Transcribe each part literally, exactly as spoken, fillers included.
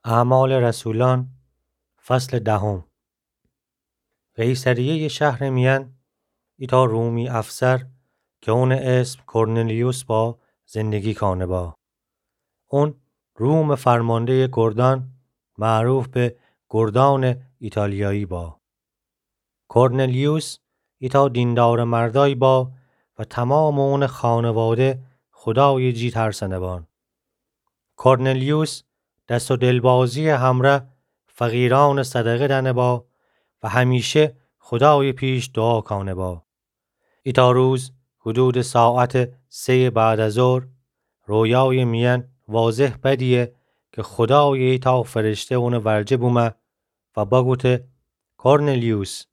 اعمال رسولان، فصل دهم. قیصریهٔ شهر میأن ایتأ رومی افسر که اونٚ اسم کرنلیوس با، زندگی کانه با. اون رومٚ فرماندهٔ گردان، معروف به گردانٚ ایتالیایی با. کرنلیوس ایتأ دیندارٚ مردای با و تمامٚ اونٚ خانواده خودایٚ جی ترسنه بان. کرنلیوس دس و دلبازی‌یٚ همرأ فقیرأنٚ صدقه دأنه با و همیشه خودایٚ پیش دوعا کانه با. ایتأ روز حدودٚ ساعتٚ سه‌یٚ بعد از ظهر، رویایٚ میأن واضح بدیه که خودایٚ ایتأ فرشته اونٚ ورجه بومه و بگوته: کرنلیوس.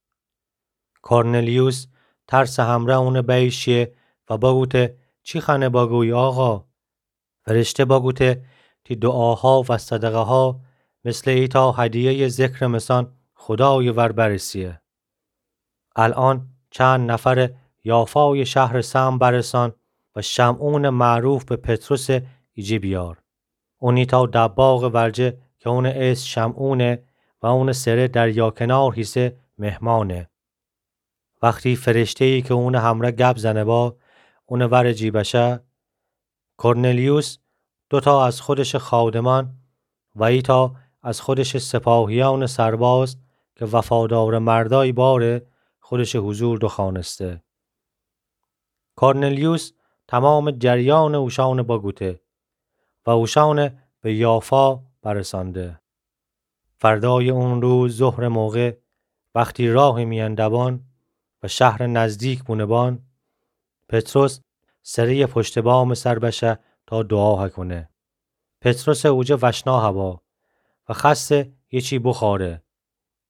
کرنلیوس ترسٚ همرأ اونٚ بأیشیه و بگوته: چی خوأنه بگوی آقا؟ فرشته بگوته: تی دوعاها و صدقه‌ها مثلٚ ایتأ هدیه‌یٚ ذکرٚ مسأن خودایٚ ور برسیه. الأن چند نفرٚ یافایٚ شهرٚ سهم برسان و شمعونٚ معروف به پطرسٚ ایجه بیار. اون ایتأ دباغٚ ورجه که اونٚ اسم شمعونه و اونٚ سره دریا کنار هیسه مهمانه. وختی فرشته‌یی که اونٚ همرأ گب زنه با اونٚ ورٚ جی بشه، کرنلیوس دوتا از خودشٚ خادمأن و ایتأ از خودشٚ سپاهیأنٚ سرباز که وفادارٚ مردای باره، خودشٚ حضور دوخوأنسته. کرنلیوس تمامٚ جریانٚ اوشأنٚ بگوته و اوشأنٚ به یافا برسأنده. فردایٚ اون روز ظهرٚ موقع، وختی راهٚ میأن دبان و شهرٚ نزدیک بونه بان، پطرس سره‌یٚ پشتٚ بامٚ سر بشه تا دوعا هکونه. پطرسٚ اوجه وشنا هبا و خوأسته یه چی بوخوأره،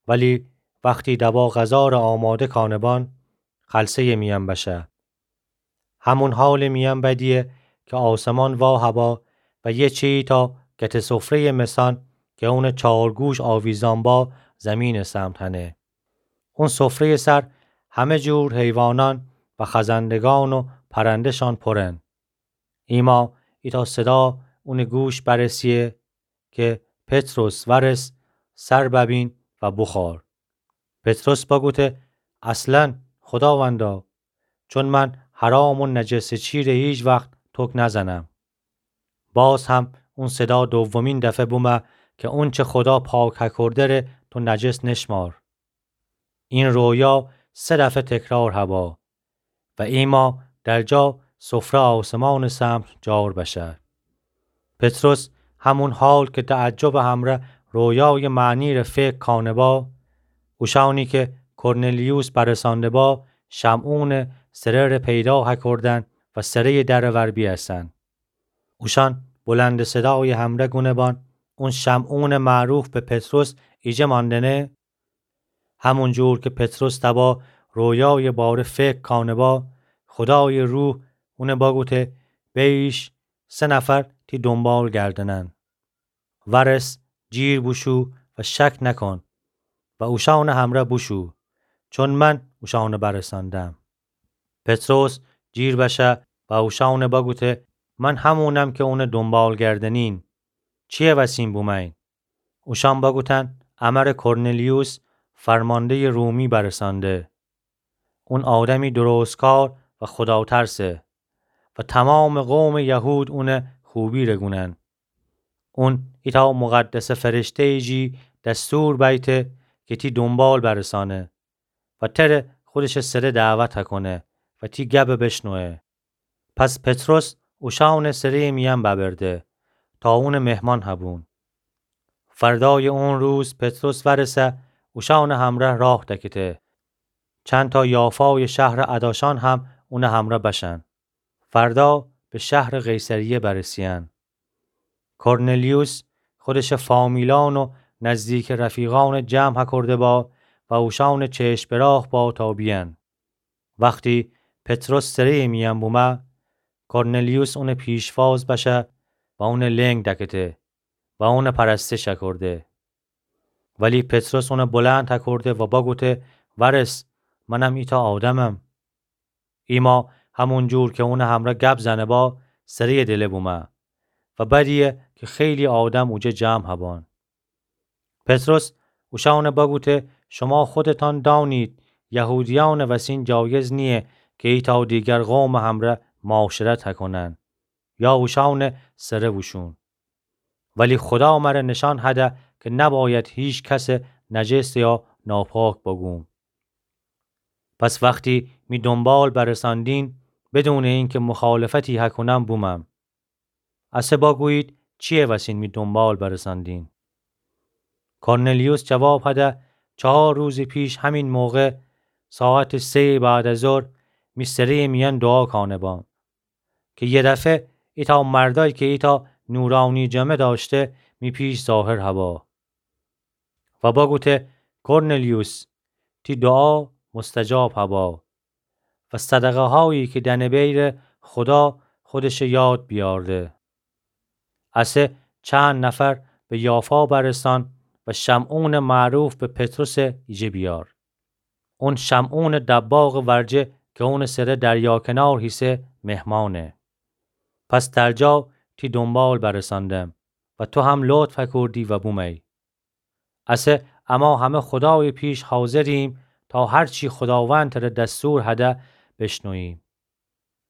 ولی وختی دبا غذا ره آماده کانه بان، خلسه‌یٚ میأن بشه. همون حالٚ میأن بدیه که آسمان وا هبا و یه چی ایتأ گته سفره‌یٚ مسأن که اونٚ چار گوش آویزأن با، زیمینٚ سمت هنه. اون سفره‌یٚ سر همه جور حیوانأن و خزندگان و پرنده‌شأن پرن. ایما ایتأ صدا اونٚ گوش برسیه که پطرس، ورس، سر ببین و بوخوأر. پطرس بگوته: اصلاً، خوداوندا، چون من حرام و نجسٚ چی ره هیچ وخت توک نزنم. باز هم اون صدا دومین دفعه بومه که اونچه خودا پاک هکرده ره تو نجس نشمار. این رویا سه دفعه تکرار هبا و ایما در جا سفره آسمانٚ سمت جار بشه. پطرس همون حال که تعجبٚ همرأ رویایٚ معنی ره فکر کانه با، اوشأنی که کرنلیوس برسأنده با، شمعونٚ سره ره پیدا هکردن و سره‌یٚ درٚ ور بیأسن. اوشأن بلندٚ صدایٚ همرأ گونه بان: اون شمعونٚ معروف به پطرس ایجه ماندنه؟ همون جور که پطرس تبا رویایٚ باره فکر کانه با، خودایٚ روح اونه بگوته: بأییش، سه نفر تی دونبال گردنن. ورس، جیر بوشو و شک نکن و اوشأنٚ همرأ بوشو، چون من اوشأنٚ برسأندم. پطرس جیر بشه و اوشأنٚ بگوته: من همونم که اونٚ دونبال گردنین. چیه وسین بومأین؟ اوشأن بگوتن: امر کرنلیوس، فرمانده‌یٚ رومی برسأنده. اون آدمی درستکار و خوداترسه و تمامٚ قومٚ یهود اونه خوبی ره گونن. اون ایتأ مقدسٚ فرشته‌یٚ جی دستور بیته که تی دونبال برسأنه و تره خودشٚ سره دعوت هکونه و تی گبٚ بشنوه. پس پطرس اوشأنٚ سره‌یٚ میأن ببرده تا اونٚ مهمان هبون. فردایٚ اون روز پطرس ورسه اوشأنٚ همرأ راه دکته، چندتأ یافایٚ شهرٚ اداشأن هم اونٚ همرأ بشن. فردا به شهرٚ قیصریه برسیأن. کرنلیوس خودشٚ فامیلأن و نزدیکٚ رفیقأنٚ جمع هکرده با و اوشأنٚ چشم به راه با تا بیأن. وختی پطرس سره‌یٚ میأن بومه، کرنلیوس اونٚ پیشواز بشه و اونٚ لنگ دکته و اونٚ پرستش هکرده. ولی پطرس اونه بلند هکرده و بگوته: ورس، منم ایتأ آدمم. ایما همون جور که اونٚ همرأ گب زنه با، سره‌یٚ دله بومه و بدیه که خیلی آدم اوجه جمع هبان. پطرس اوشأنَ بگوته: شما خودتأن دأنید یهودیأنٚ وسین جایز نییه کی ایتأ دیگر قومٚ همرأ معاشرت هکونن یا اوشأنٚ سره بوشون. ولی خودا مر نشأن هده کی نباید هیکس نجس یا ناپاک بگوم. پس وختی می دونبال برسأندین، بدونٚ اینکی مخالفتی هکونم بومم. اسه بگویید چییه وسین می دونبال برسأندین؟ کرنلیوس جواب هده: چهار روزٚ پیش همین موقع، ساعتٚ سه‌یٚ بعد از ظهر، می سره‌یٚ میأن دوعا کانه‌بأم کی یه دفعه ایتأ مردأیی کی ایتأ نورأنی جامه دأشته می پیش ظاهر هبا و بگوته: کرنلیوس، تی دوعا مستجاب هبا و صدقه‌هایی کی دأنه‌بیی ره خودا خودشٚ یاد بیأورده. اسه چند نفر به یافا برسأن و شمعونٚ معروف به پطرسٚ ایجه بیأر. اون شمعونٚ دباغٚ ورجه کی اونٚ سره دریا کنار هیسه مهمأنه. پس درجا تی دونبال برسأندم و تو هم لطف هکردی و بوموی. اسه اما همه خودایٚ پیش حاضریم تا هر چی خوداوند تره دستور هده بشنوییم.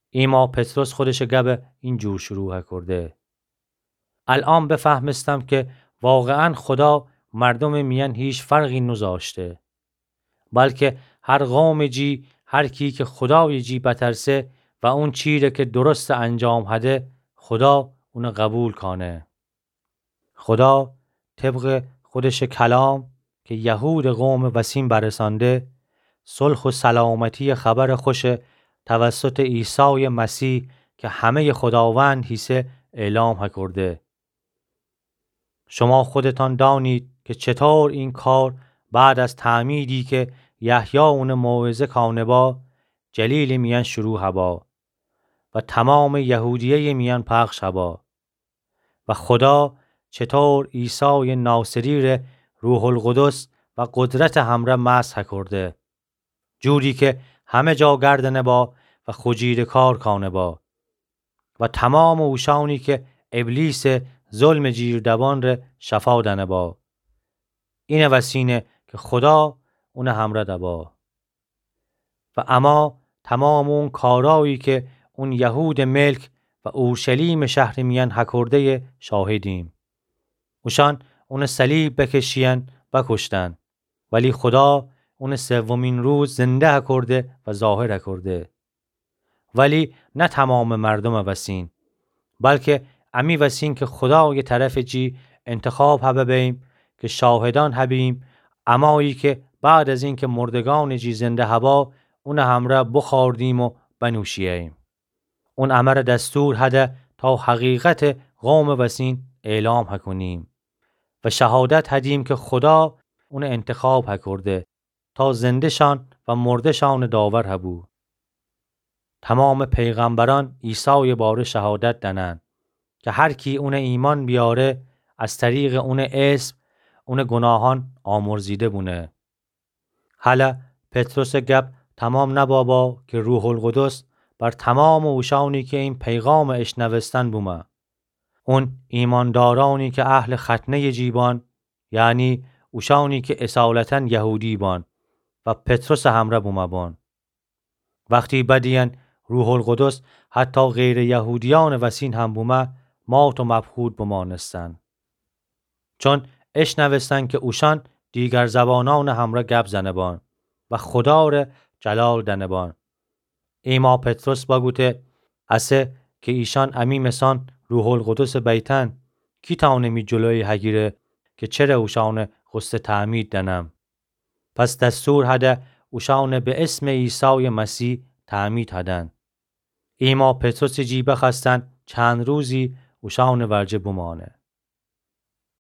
ایما پطرس خودشٚ گبَ اینجور شروع هکرده: الأن بفهمستم کی واقعاً خودا مردومٚ میأن هیچ فرقی نوذاشته، بلکی هر قومٚ جی، هر کی کی خودایٚ جی بترسه و اون چیره کی درسته انجام هده، خودا اونَ قبول کانه. خودا طبقٚ خودشٚ کلام کی یهودٚ قومٚ وسین برسأنده، صلح و سلامتیٚ خبرٚ خوشَ توسطٚ عیسایٚ مسیح کی همه‌یٚ خوداوند هیسه اعلام هکرده. شما خودتأن دأنید کی چطور این کار بعد از تعمیدی کی یحیی اونَ موعظه کانه‌با، جلیلٚ میأن شروع هبا و تومامٚ یهودیه‌یٚ میأن پخش هبا. و خودا چطور عیسایٚ ناصری ره روح‌القدس و قدرتٚ همرأ مسح هکرده، جوری کی همه جا گردنه‌با و خو جیره کار کانه‌با و تومامٚ اوشأنی کی ابلیسٚ ظلمٚ جیر دبأن ره شفا دأنه‌با. اینٚ وسینه کی خودا اونٚ همرأ دبا. و اما تومامٚ اون کارأیی کی اون یهودٚ ملک و اورشلیمٚ شهرٚ میأن هکرده‌یٚ شاهدیم. اوشأن اونَ صلیب بکشیأن بکشتن، ولی خودا اونَ سومین روز زنده هکرده و ظاهر هکرده. ولی نه تومامٚ مردومٚ وسین، بلکی امی وسین کی خودایٚ طرفٚ جی انتخاب هبه بیم کی شاهدأن هبیم، امایی کی بعد از اینکی مردگأنٚ جی زنده هبا، اونٚ همرأ بوخوردیم و بنوشیه‌ییم. اون امر دستور هده تا حقیقتٚ قومٚ وسین اعلام هکونیم و شهادت هدیم کی خودا اونَ انتخاب هکرده تا زنده‌شأن و مرده‌شأنٚ داور هبو. تومامٚ پیغمبرأن عیسایٚ باره شهادت دأنن کی هر کی اونَ ایمأن بیاره، از طریقٚ اونٚ اسم اونٚ گوناهأن آمرزیده بونه. هلأ پطرسٚ گب تومام نبابا کی روح‌القدس بر تومامٚ اوشأنی کی این پیغامَ اشنوستن بومه. اون ایمأندارأنی کی اهلٚ ختنه‌یٚ جی بأن، یعنی اوشأنی کی اصالتاً یهودی بأن و پطرسٚ همرأ بومه بأن. وختی بدیدن روح‌القدس حتی غیرٚ یهودیأنٚ وسین هم بومه، مات و مبهوت بمأنستن. چون اشنوستن کی اوشأن دیگر زبانأنٚ همرأ گب زنه بأن و خودا ره جلال دأنه بأن. ایما پطرس بگوته: اسه کی ایشأن امی مثأن روح‌القدسٚ بیتن، کی تأنه می جلویَ هگیره کی چره اوشأنَ غسلٚ تعمید دأنم؟ پس دستور هده اوشأنَ به اسمٚ عیسایٚ مسیح تعمید هدن. ایما پطرسٚ جی بخوأستن چند روزی اوشأنٚ ورجه بمأنه.